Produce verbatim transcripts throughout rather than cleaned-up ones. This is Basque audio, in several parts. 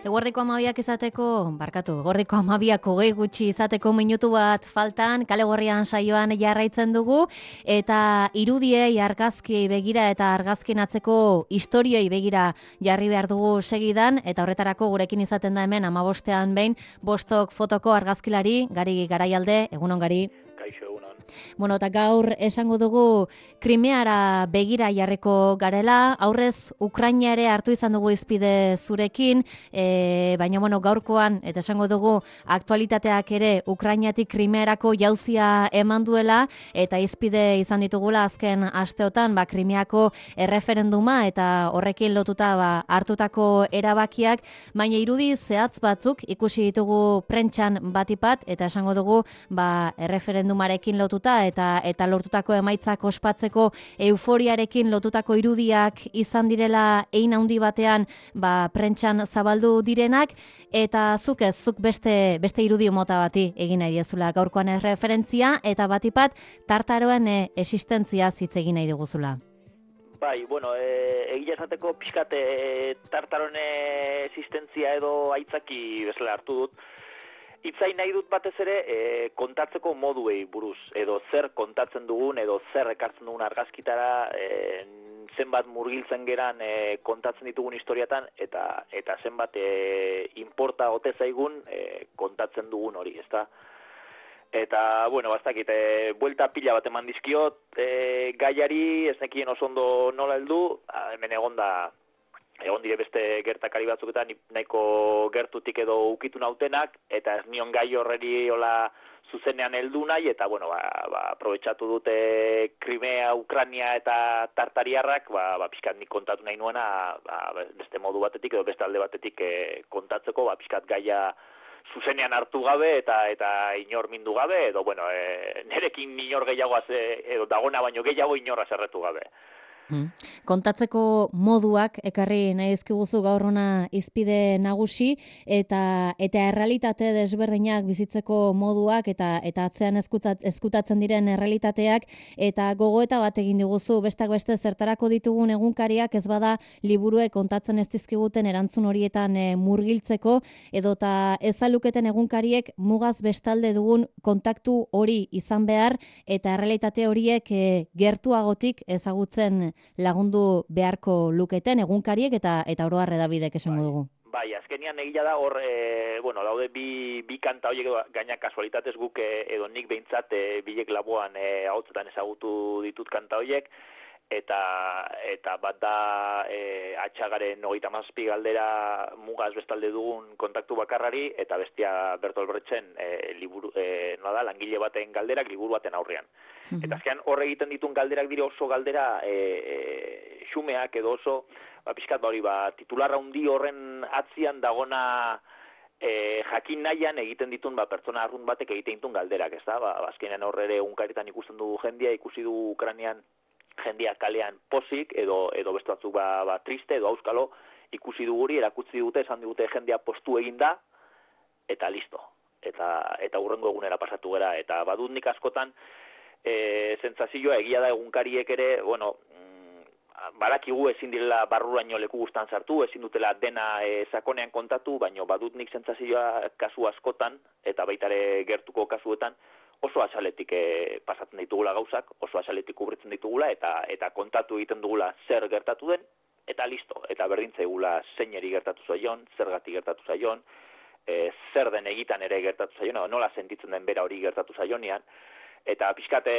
Eguerdiko hamabiak izateko, barkatu, eguerdiko hamabiak hogei gutxi izateko minutu bat faltan, kale gorrian saioan jarraitzen dugu, eta irudiei, argazkiei begira eta argazkin atzeko historioi begira jarri behar dugu segidan, eta horretarako gurekin izaten da hemen amabostean behin, bostok fotoko argazkilari, Gari Garaialde, egunon Gari. Kaixo, egunon. Bueno, eta gaur esango dugu Krimeara begira jarriko garela, aurrez Ukraina ere hartu izan dugu izpide zurekin, e, baina bueno, gaurkoan, eta esango dugu aktualitateak ere Ukrainatik Krimearako jauzia eman duela, eta izpide izan ditugula azken asteotan, ba, Krimeako erreferenduma eta horrekin lotuta ba, hartutako erabakiak, baina irudi zehatz batzuk ikusi ditugu prentsan batipat, eta esango dugu ba, erreferendumarekin lotuta eta eta lortutako emaitzak ospatzeko euforiarekin lotutako irudiak izan direla hein handi batean ba prentsan zabaldu direnak, eta zuk ez, zuk beste beste irudi mota bati egin nahi diezula gaurkoan erreferentzia, eta batipat tartaroen e, existentzia hitz egin nahi diguzula. Bai, bueno, e, egia esateko pixkat e, tartaroen existentzia edo aitzaki bezala hartu dut. Itzain nahi dut batez ere e, kontatzeko moduei buruz, edo zer kontatzen dugun, edo zer ekartzen dugun argazkitara, e, zenbat murgiltzen geran e, kontatzen ditugun historiatan, eta eta zenbat e, inporta ote zaigun e, kontatzen dugun hori, ezta? Eta, bueno, bastakit, e, buelta pila bat eman dizkiot, e, gaiari, ez nekien oso ondo nola heldu, hemen egonda, egon dire beste gertakari batzuketan nahiko gertutik edo ukitu nautenak, eta ez nion gai horreri hola zuzenean heldu nahi, eta bueno, ba, ba, aprobetxatu dute Krimea, Ukraina eta Tartariarrak, ba, ba, pixkat nik kontatu nahi nuena, ba, beste modu batetik edo beste alde batetik e, kontatzeko, ba, pixkat gaia zuzenean hartu gabe eta eta inor mindu gabe, edo bueno, e, nerekin inor gehiago edo dagona baino gehiago inorra zerretu gabe. Hmm. Kontatzeko moduak ekarri nahi dizkiguzu gaur hona izpide nagusi, eta eta errealitate desberdinak bizitzeko moduak eta eta atzean ezkutatzen diren errealitateak, eta gogoeta bat egin diguzu bestak beste zertarako ditugun egunkariak ez bada liburuek kontatzen ez dizkiguten erantzun horietan e, murgiltzeko, edota ez aluketen egunkariek mugaz bestalde dugun kontaktu hori izan behar, eta errealitate horiek e, gertuagotik ezagutzen lagundu beharko luketen egunkariek eta eta oro har hedabidek esango dugu. Bai, azkenian egia da hor, e, bueno, daude bi, bi kanta horiek gaina kasualitatez guk e, edo nik behintzat e, bilek laboan e, ahotsetan ezagutu ditut kanta horiek, eta eta bat da e, atxagaren hogeita hamazazpi galdera mugaz bestalde dugun kontaktu bakarrari, eta bestia Bertolt Brechten e, liburu, e, no da, langile baten galderak liburu baten aurrean. Mm-hmm. Eta azkean hor egiten dituen galderak dira oso galdera e, e, xumeak edo oso, ba, pixkat hori, ba, titularra hundi horren atzian dagona e, jakin nahian egiten ditun ba, pertsona arrunt batek egiten ditun galderak, ez da? Ba, azkenean horre ere unkaritan ikusten dugu jendia, ikusi du Ukrainian jendia kalean pozik, edo edo beste batzuk ba, ba, triste, edo auskalo, ikusi duguri, erakutsi dute, esan digute jendia postu eginda, eta listo. Eta eta hurrengo egunera pasatu gera. Eta badut nik askotan, e, sentsazioa egia da egunkariek ere, bueno, mm, barakigu ezin direla barruraino leku guztan sartu, ezin dutela dena e, sakonean kontatu, baino badut nik sentsazioa kasu askotan, eta baitare gertuko kasuetan, oso azaletik e, pasatzen ditugula gauzak, oso azaletik kubritzen ditugula, eta eta kontatu egiten dugula zer gertatu den, eta listo, eta berdintzaigula zeineri gertatu zaion, zergatik gertatu zaion, e, zer den egitan ere gertatu zaion, nola sentitzen den bera hori gertatu zaionean, eta pixkate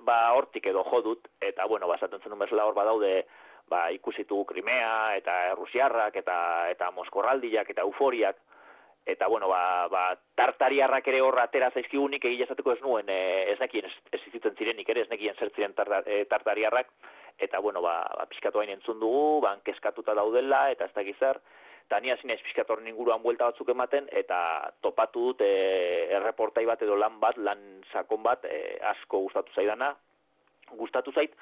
ba hortik edo jodut, eta bueno, basatzen zen bezala hor badaude, ba ikusitu Krimea, eta Errusiarrak, eta eta Moskorraldiak, eta euforiak, eta bueno, ba, ba Tartariarrak ere hor atera zaizkigunik egia esateko ez nuen, e, ez nekien ez, ez izitzen zirenik ere, ez nekien zer ziren tartar, e, Tartariarrak, eta bueno, ba, ba pixkatu hain entzun dugu, ban keskatuta daudela, eta ez dakiz zer, eta nia zinez pixkatu horren inguruan buelta batzuk ematen, eta topatu dut e, erreportai bat edo lan bat, lan sakon bat, e, asko gustatu zaidana, gustatu zait,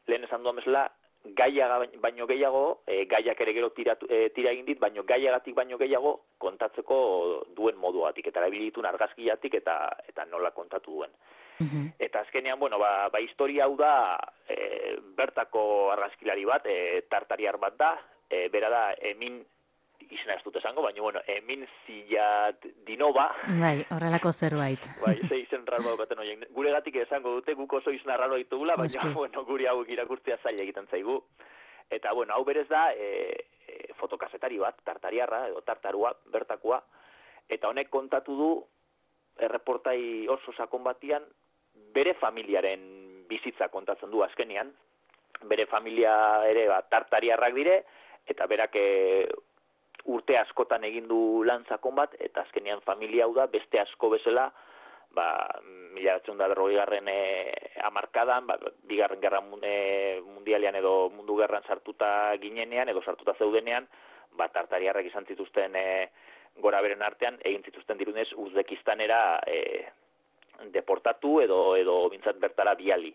lehen esan duan bezala, gaia baino gehiago, e, gaiak ere gero tiratu, e, tira egin dit, baino gaiagatik baino gehiago kontatzeko duen moduatik, eta erabilitun argazkiatik eta eta nola kontatu duen. Mm-hmm. Eta azkenean, bueno, ba, ba historia hau da, e, bertako argazkilari bat, e, tartariar bat da, e, bera da, Emin izena ez dut esango, baina, bueno, emin zila dinoba. Bai, horrelako zerbait. Bai, ze izen raro daukaten horiek. Gure gatik esango dute, guk oso izena raro ditugula, baina, Oski. bueno, guri hauek irakurtzea zaila egiten zaigu. Eta, bueno, hau berez da, e, e, fotokazetari bat, tartariarra, edo tartarua, bertakoa, eta honek kontatu du, erreportai oso sakon batian, bere familiaren bizitza kontatzen du azkenian, bere familia ere ba, tartariarrak dire, eta berak e, urte askotan egin du lan sakon bat, eta azkenian familia hau da, beste asko bezala, ba, mila bederatziehun eta berrogei garren e, hamarkadan, ba, bigarren gerra e, mundialean edo mundu gerran sartuta ginenean, edo sartuta zeudenean, ba, tartariarrak izan zituzten e, gora beren artean, egin zituzten dirunez Uzbekistanera e, deportatu edo edo bintzat bertara biali.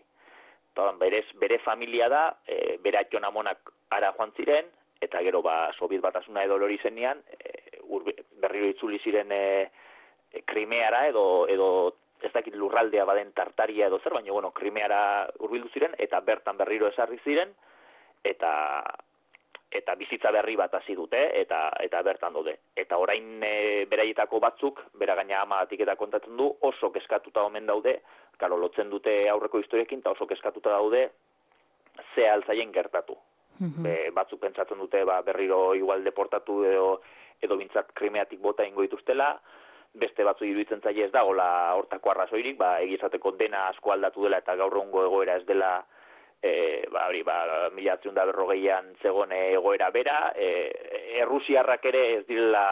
Eta berez, bere familia da, e, bere aiton amonak ara joan ziren, eta gero ba, Sobiet batasuna edo lori zenean, e, urbe, berriro itzuli ziren e, e, Krimeara edo, edo ez dakit lurraldea baden Tartaria edo zer, baina bueno, Krimeara hurbildu ziren, eta bertan berriro esarri ziren, eta eta bizitza berri bat hasi dute, eta eta bertan daude. Eta orain e, beraietako batzuk, bera gaina amagatik eta kontatzen du, oso keskatuta omen daude, karo, lotzen dute aurreko historiekin, eta oso keskatuta daude, ze altzaien gertatu. Mm-hmm. Be, batzuk pentsatzen dute ba, berriro igual deportatu edo, edo bintzat Krimeatik bota ingo dituztela, beste batzu iruditzen zaie ez dagoela hortako arrazoirik, ba, egizateko dena asko aldatu dela eta gaur egungo egoera ez dela E, ba, hori, ba, mila bederatziehun eta berrogeian zegoen egoera bera, e, Errusiarrak ere ez direla,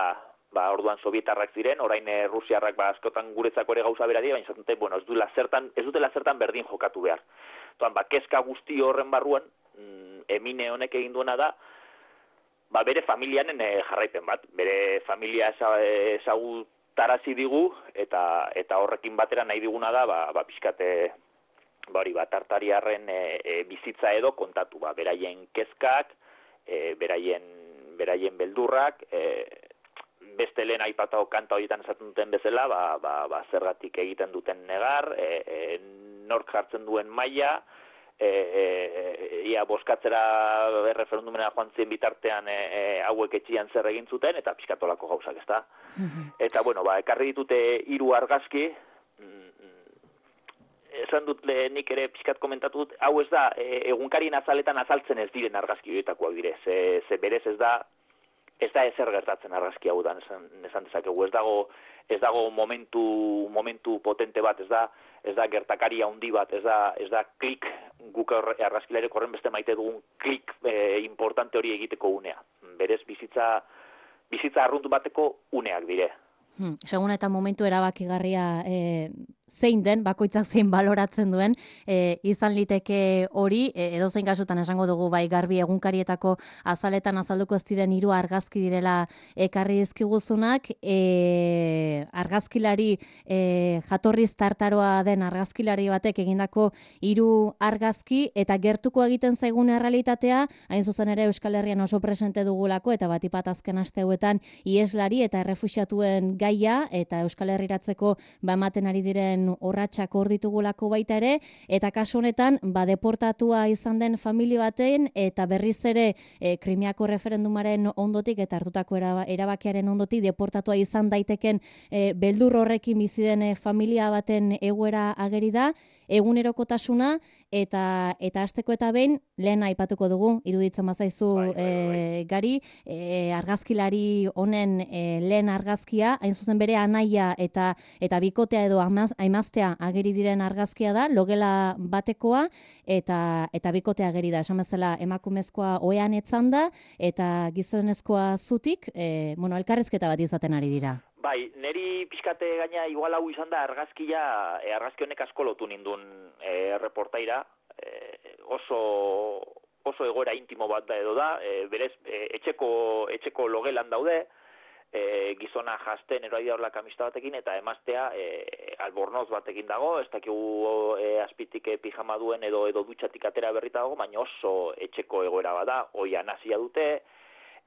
ba, orduan Sobietarrak ziren, orain Errusiarrak ba, askotan guretzako ere gauza bera dira, baina zaten, bueno, ez dutela zertan, ez dutela zertan berdin jokatu behar. Toan, ba, kezka guzti horren barruan, mm, Emine honek egin duena da, ba, bere familianen e, jarraipen bat, bere familia ezagutarazi digu, eta, eta horrekin batera nahi diguna da, ba, ba pixkate, ba hori, ba, tartariarren e, e, bizitza edo kontatu, ba, beraien kezkak, e, beraien, beraien beldurrak, e, beste lehen aipatao kanta horietan esaten duten bezala, ba, ba, ba, zergatik egiten duten negar, e, e, nork jartzen duen maila, e, e, ia boskatzera erreferendumena joan zien bitartean e, e, hauek etxian zer egin zuten, eta pixkatolako gauzak, ezta? Mm-hmm. Eta, bueno, ba, ekarri ditute hiru argazki, esan dut nik ere pixkat komentatu dut, hau ez da, e, egunkarien azaletan azaltzen ez diren argazki horietakoak dire, ze, ze berez ez da, ez da ezer gertatzen argazki hau da, esan, esan dezakegu, ez dago, ez dago momentu, momentu potente bat, ez da, ez da gertakari handi bat, ez da, ez da klik, guk argazkilarek horren beste maite dugun klik e, importante hori egiteko unea. Berez bizitza, bizitza arruntu bateko uneak dire. Hmm, segun eta momentu erabakigarria e, zein den, bakoitzak zein baloratzen duen, e, izan liteke hori, e, edozein kasutan esango dugu bai garbi egunkarietako azaletan azalduko ez diren hiru argazki direla ekarri dizkiguzunak, e, argazkilari e, jatorriz tartaroa den argazkilari batek egindako hiru argazki, eta gertuko egiten zaigun errealitatea, hain zuzen ere Euskal Herrian oso presente dugulako, eta batipat azken aste hauetan ieslari eta errefuxiatuen gaia, eta Euskal Herriratzeko ba ematen ari diren orratsak hor ditugulako baita ere, eta kasu honetan ba deportatua izan den familia baten eta berriz ere e, Krimiako referendumaren ondotik eta hartutako erabakiaren ondotik deportatua izan daiteken e, beldur horrekin bizi den e, familia baten egoera ageri da, egunerokotasuna eta eta hasteko eta behin lehen aipatuko dugu, iruditzen bazaizu bai, bai, bai. E, gari, e, argazkilari honen e, lehen argazkia, hain zuzen bere anaia eta eta bikotea edo amaz, aimaztea ageri diren argazkia da, logela batekoa eta eta bikotea ageri da, esan bezala emakumezkoa ohean etzan da eta gizonezkoa zutik, e, bueno, elkarrizketa bat izaten ari dira. Bai, neri pixkate gaina igual hau izan da argazkia, e, argazki honek asko lotu nindun e, reportaira, e, oso, oso egoera intimo bat da edo da, e, berez e, etxeko, etxeko logelan daude, e, gizona jazten eroa horla kamista batekin, eta emaztea e, albornoz batekin dago, ez dakigu e, azpitik e, pijama duen edo edo dutxatik atera berrita dago, baina oso etxeko egoera bat da, oian hasia dute,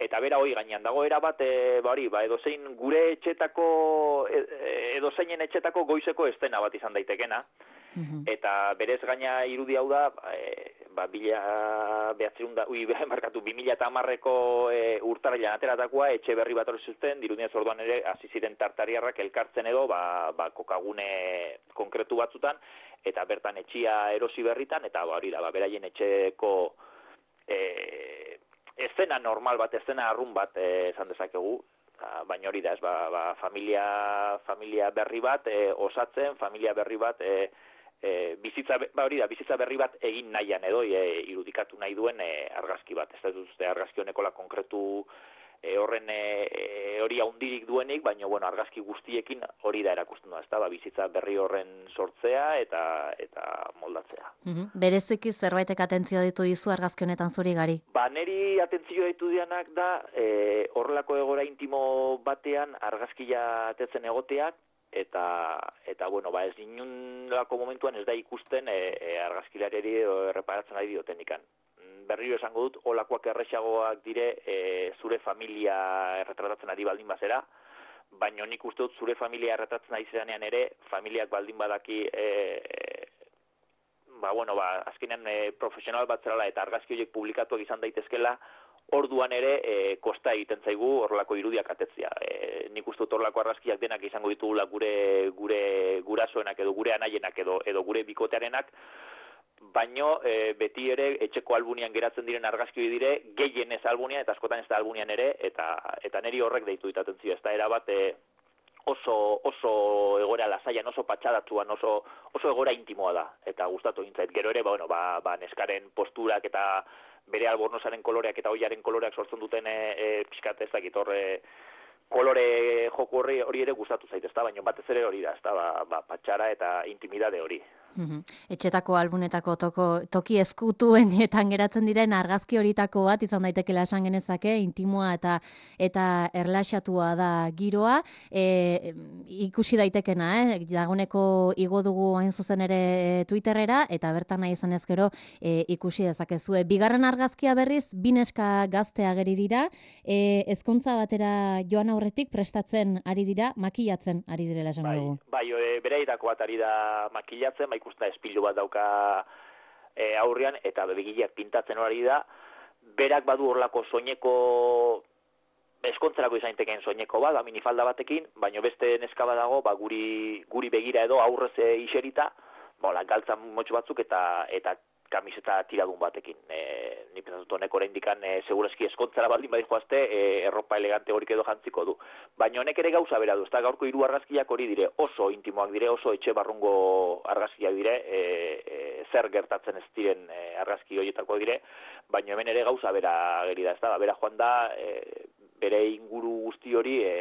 eta bera hori gainean dago era bat, e, ba hori, ba edozein gure etxetako, edozeinen etxetako goizeko estena bat izan daitekena, mm-hmm. Eta berez gaina irudi hau da, e, ba, bila behatzerun da, ui, markatu, bi mila eta hamarreko e, urtarrilan ateratakoa, etxe berri bat hori zuten, dirudienez orduan ere, hasi ziren tartariarrak elkartzen edo, ba, ba, kokagune konkretu batzutan, eta bertan etxia erosi berritan, eta ba, hori da, ba, beraien etxeko e, eszena normal bat, eszena arrun bat e, esan dezakegu, baina hori da, ez, ba, ba, familia, familia berri bat e, osatzen, familia berri bat e, e, bizitza, ba, hori da, bizitza berri bat egin nahian edo e, irudikatu nahi duen e, argazki bat. Ez da duzte argazki honekola konkretu e, horren e, hori haundirik duenik, baina bueno, argazki guztiekin hori da erakusten da, ez da, ba, bizitza berri horren sortzea eta eta moldatzea. Mm-hmm. Bereziki zerbaitek atentzio ditu dizu argazki honetan zuri Gari? Ba, neri atentzio ditu dianak da, e, horrelako egoera intimo batean argazkia atetzen egoteak, eta, eta bueno, ba, ez inunlako momentuan ez da ikusten e, e, argazkilareri erreparatzen ari diotenikan. Berriro esango dut, olakoak erresagoak dire e, zure familia erretratatzen ari baldin bazera, baina nik uste dut zure familia erretratatzen ari zeranean ere, familiak baldin badaki, e, ba, bueno, ba, azkenean e, profesional bat zerala eta argazki horiek publikatuak izan daitezkela, orduan ere e, kosta egiten zaigu horrelako irudiak atetzea. E, nik uste dut horrelako argazkiak denak izango ditugula gure, gure gurasoenak edo gure anaienak edo, edo gure bikotearenak, baino e, beti ere etxeko albunian geratzen diren argazki dire gehienez albunian eta askotan ez da albunian ere eta eta neri horrek deitu dit atentzioa. Ez da erabat e, oso oso egoera lasaian, oso patxadatsuan, oso oso egoera intimoa da eta gustatu egin zait. Gero ere ba bueno, ba, ba neskaren posturak eta bere albornozaren koloreak eta oiaren koloreak sortzen duten e, e, pixkat ez dakit horre kolore joku horri hori ere gustatu zait, ezta, baina batez ere hori da, ezta, ba, ba patxara eta intimidade hori. Mm-hmm. Etxetako albunetako toko, toki eskutuenetan geratzen diren argazki horitako bat izan daitekela esan genezake, intimoa eta eta erlaxatua da giroa, e, ikusi daitekena, eh? Dagoneko igo dugu hain zuzen ere Twitterrera eta bertan nahi izan ezkero e, ikusi dezakezue. Bigarren argazkia berriz, bi neska gazte ageri dira, e, ezkontza batera joan aurretik prestatzen ari dira, makillatzen ari direla esango dugu. Bai, bai, e, bereitako bat ari da makillatzen, bai ikusten espilu bat dauka e, aurrean, eta begileak pintatzen hori da, berak badu horlako soineko, eskontzerako izan tekeen soineko bat, minifalda batekin, baina beste neska badago, ba, guri, guri begira edo aurrez e, iserita, bola, galtzan motxo batzuk eta eta kamiseta tiradun batekin. E, ni pentsatu honek oraindikan e, segurazki eskontzara baldin badi joazte, e, erropa elegante horik edo jantziko du. Baina honek ere gauza bera du, ezta gaurko hiru argazkiak hori dire, oso intimoak dire, oso etxe barrungo argazkiak dire, e, e, zer gertatzen ez diren e, argazki horietako dire, baina hemen ere gauza bera ageri da, ezta, bera joan da, e, bere inguru guzti hori e,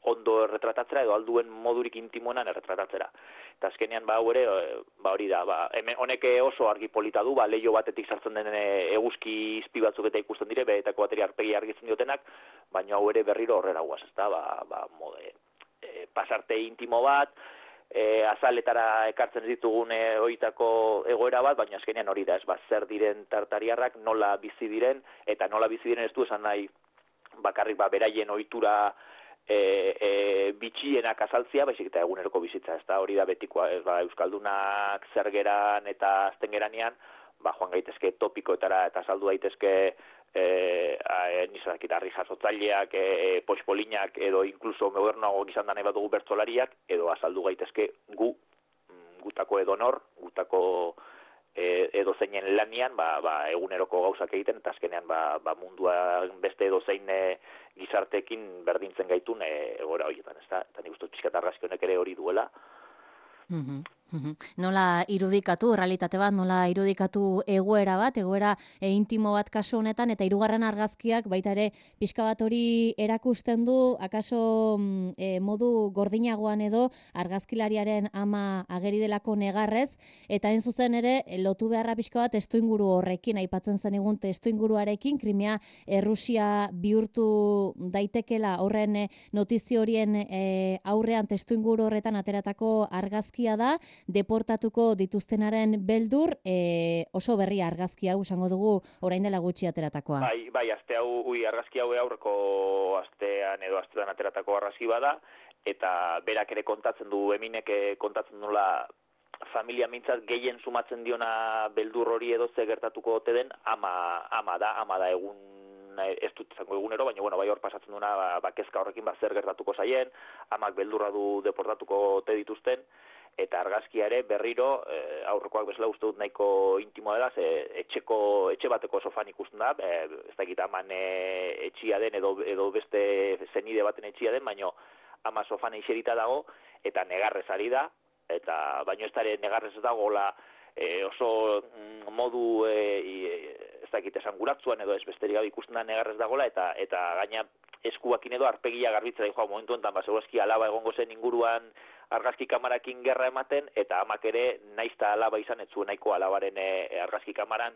ondo erretratatzera edo alduen modurik intimoenan erretratatzera. Eta azkenean ba hau ere, ba hori da, ba, hemen honek oso argi polita du, ba leio batetik sartzen den eguzki izpi batzuk eta ikusten dire, behetako bateri arpegi argitzen diotenak, baina hau ere berriro horrela guaz, ezta, ba, ba mode, e, pasarte intimo bat, e, azaletara ekartzen ditugun e, horietako egoera bat, baina azkenean hori da, ez ba, zer diren tartariarrak, nola bizi diren, eta nola bizi diren ez du esan nahi, bakarrik ba, beraien ohitura E, e, bitxienak azaltzia, baizik eta eguneroko bizitza, ez da hori da betikoa, ez ba, euskaldunak zergeran eta aztengeranean, ba, joan gaitezke topikoetara eta saldu daitezke e, nizakit, arri jasotzaileak, e, poxpolinak, edo inkluso modernoago gizan da nahi bat dugu bertsolariak, edo azaldu gaitezke gu, gutako edonor, gutako E, edo zeinen lanian, ba, ba, eguneroko gauzak egiten, eta azkenean ba, ba mundua beste edo zein e, gizartekin berdintzen gaitun e, egora horietan, ez da? Eta nik uste pixkat argazki honek ere hori duela. Mm-hmm. Mm-hmm. Nola irudikatu, realitate bat, nola irudikatu egoera bat, egoera e, intimo bat kasu honetan, eta hirugarren argazkiak baita ere pixka bat hori erakusten du, akaso e, modu gordinagoan edo argazkilariaren ama ageri delako negarrez, eta hain zuzen ere lotu beharra pixka bat testuinguru horrekin, aipatzen zen egun testuinguruarekin, Krimea Errusia bihurtu daitekela horren notizio horien e, aurrean testuinguru horretan ateratako argazkia da, deportatuko dituztenaren beldur, e, oso berri argazki hau esango dugu orain dela gutxi ateratakoa. Bai, bai, aste hau, ui, argazki hau aurreko astean edo astean ateratako argazki bada, eta berak ere kontatzen du, Eminek kontatzen dula familia mintzat gehien sumatzen diona beldur hori edo ze gertatuko ote den ama, ama da, ama da egun ez dut izango egunero, baina bueno, bai hor pasatzen duna ba, ba kezka horrekin ba zer gertatuko zaien, amak beldurra du deportatuko ote dituzten, eta argazkia ere berriro e, aurrekoak bezala uste dut nahiko intimoa dela, ze etxeko, etxe bateko sofan ikusten da, e, ez dakit aman e, etxia den edo, edo beste zenide baten etxia den, baina ama sofan eixerita dago, eta negarrez ari da, eta baino ez dara negarrez dago la, e, oso mm, modu e, ez dakit esanguratzuan edo ez besterik gabe ikusten da negarrez dagoela, eta eta gaina eskuakin edo arpegia garbitzera joa momentu enten, ba, segurazki alaba egongo zen inguruan argazki kamarakin gerra ematen, eta amak ere naizta alaba izan ez zuen nahiko alabaren e, argazki kamaran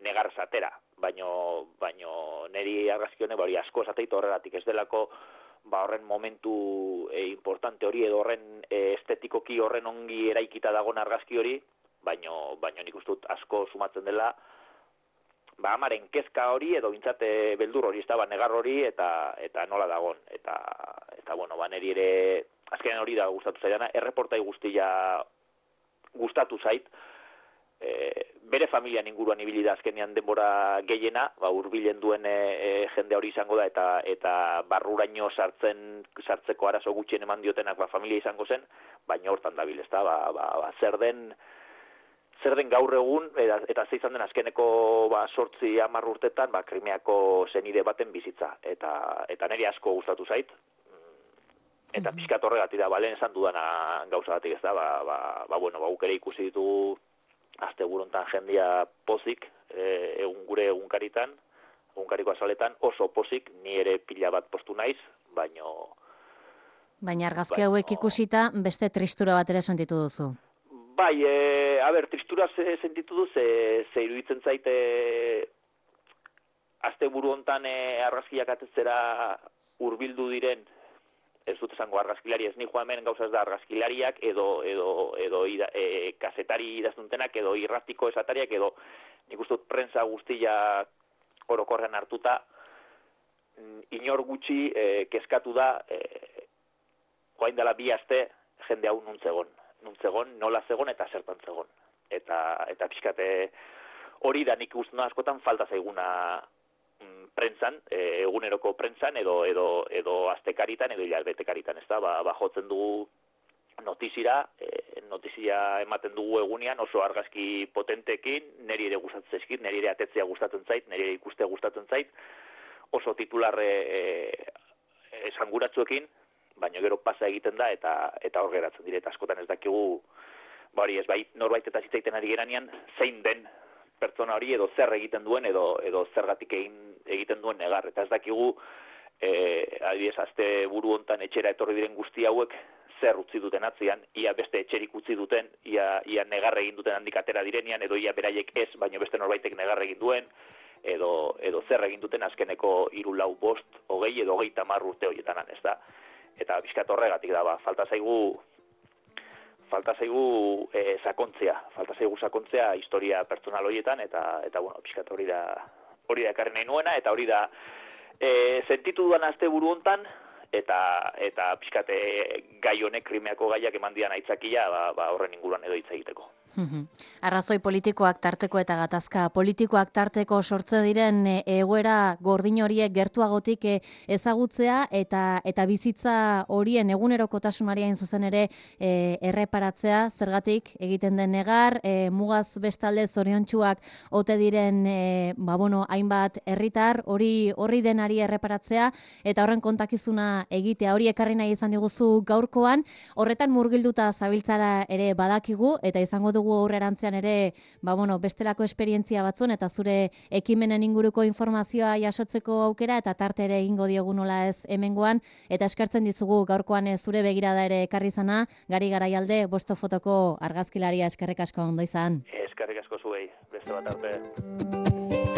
negarrez atera, baino, baino neri argazki honek hori asko esateit horregatik ez delako ba horren momentu e, importante hori edo horren e, estetikoki horren ongi eraikita dagoen argazki hori, baino, baino nik uste dut asko sumatzen dela ba amaren kezka hori edo bintzate beldur hori, ez da, ba, negar hori eta eta nola dagon, eta eta bueno, ba neri ere azkenean hori da gustatu zaidana, erreportai guztia gustatu zait, e, bere familian inguruan ibili da azkenean denbora gehiena, ba hurbilen duen e, e, jende hori izango da eta eta barruraino sartzen sartzeko arazo gutxien eman diotenak ba familia izango zen, baina hortan dabil, ezta, ba, ba, ba zer den zer den gaur egun eta, eta ze izan den azkeneko ba zortzi hamar urtetan ba Krimeako zenide baten bizitza, eta eta niri asko gustatu zait. Eta pixkat horregatik da, balen esan dudana gauzagatik ez da, ba, ba, ba, bueno, ba, ere ikusi ditu asteburuntan jendia pozik, e, egun gure egunkaritan, egunkariko azaletan, oso pozik, ni ere pila bat postu naiz, baino... Baina argazki hauek ikusita, beste tristura bat ere sentitu duzu. Bai, e, a ber, tristura ze, sentitu du, ze, ze iruditzen zaite asteburu hontan e, argazkiak atetzera hurbildu diren, ez dut esango argazkilari, ez ni joa hemen gauza ez da argazkilariak edo, edo, edo ida, e, kazetari idaztuntenak edo irratiko esatariak edo nik uste dut prensa guztia orokorrean hartuta inor gutxi e, kezkatu da e, joain dela bi aste jende hau nuntzegon, nuntzegon, nola zegon eta zertan zegon. Eta, eta pixkate hori da nik uste askotan falta zaiguna prentsan, e, eguneroko prentsan edo edo edo astekaritan edo hilabete-karitan, ezta? Ba, ba jotzen dugu notizira, e, notizia ematen dugu egunean oso argazki potenteekin, neri ere gustatzen zaizkit, neri ere atetzea gustatzen zait, neri ere ikustea gustatzen zait, oso titular e, e, esanguratsuekin, baina gero pasa egiten da eta eta hor geratzen dire, eta askotan ez dakigu, ba hori ez bai norbait eta zitzaiten ari geranean zein den pertsona hori edo zer egiten duen edo edo zergatik egin egiten duen negar, eta ez dakigu eh adibidez aste buru hontan etxera etorri diren guzti hauek zer utzi duten atzean, ia beste etxerik utzi duten, ia ia negar egin duten handik atera direnean edo ia beraiek ez, baina beste norbaitek negar egin duen edo edo zer egin duten azkeneko hiru lau bost hogei edo hogeita hamar urte horietan, ez da. Eta bizkat horregatik da, ba, falta zaigu falta zaigu e, sakontzea, falta zaigu sakontzea historia pertsonal horietan, eta eta bueno, pixkat hori da hori da ekarri nahi nuena, eta hori da e, sentitu dudan asteburu hontan, eta eta pixkat gai honek Krimeako gaiak eman dian aitzakia, ba, ba horren inguruan edo hitz egiteko. Arrazoi politikoak tarteko eta gatazka politikoak tarteko sortze diren egoera gordin horiek gertuagotik ezagutzea eta eta bizitza horien egunerokotasunari hain zuzen ere e, erreparatzea, zergatik egiten den negar, e, mugaz bestalde zoriontsuak ote diren e, ba, bueno, hainbat herritar hori horri denari erreparatzea eta horren kontakizuna egitea, hori ekarri nahi izan diguzu gaurkoan, horretan murgilduta zabiltzara ere badakigu eta izango dugu aurrerantzean ere, ba bueno, bestelako esperientzia batzun eta zure ekimenen inguruko informazioa jasotzeko aukera eta tarte ere egingo diogu nola ez hemengoan, eta eskertzen dizugu gaurkoan zure begirada ere ekarri zana, Gari Garaialde, Bosto Fotoko argazkilaria, eskerrik asko ondo izan. Eskerrik asko zuei, beste bat arte.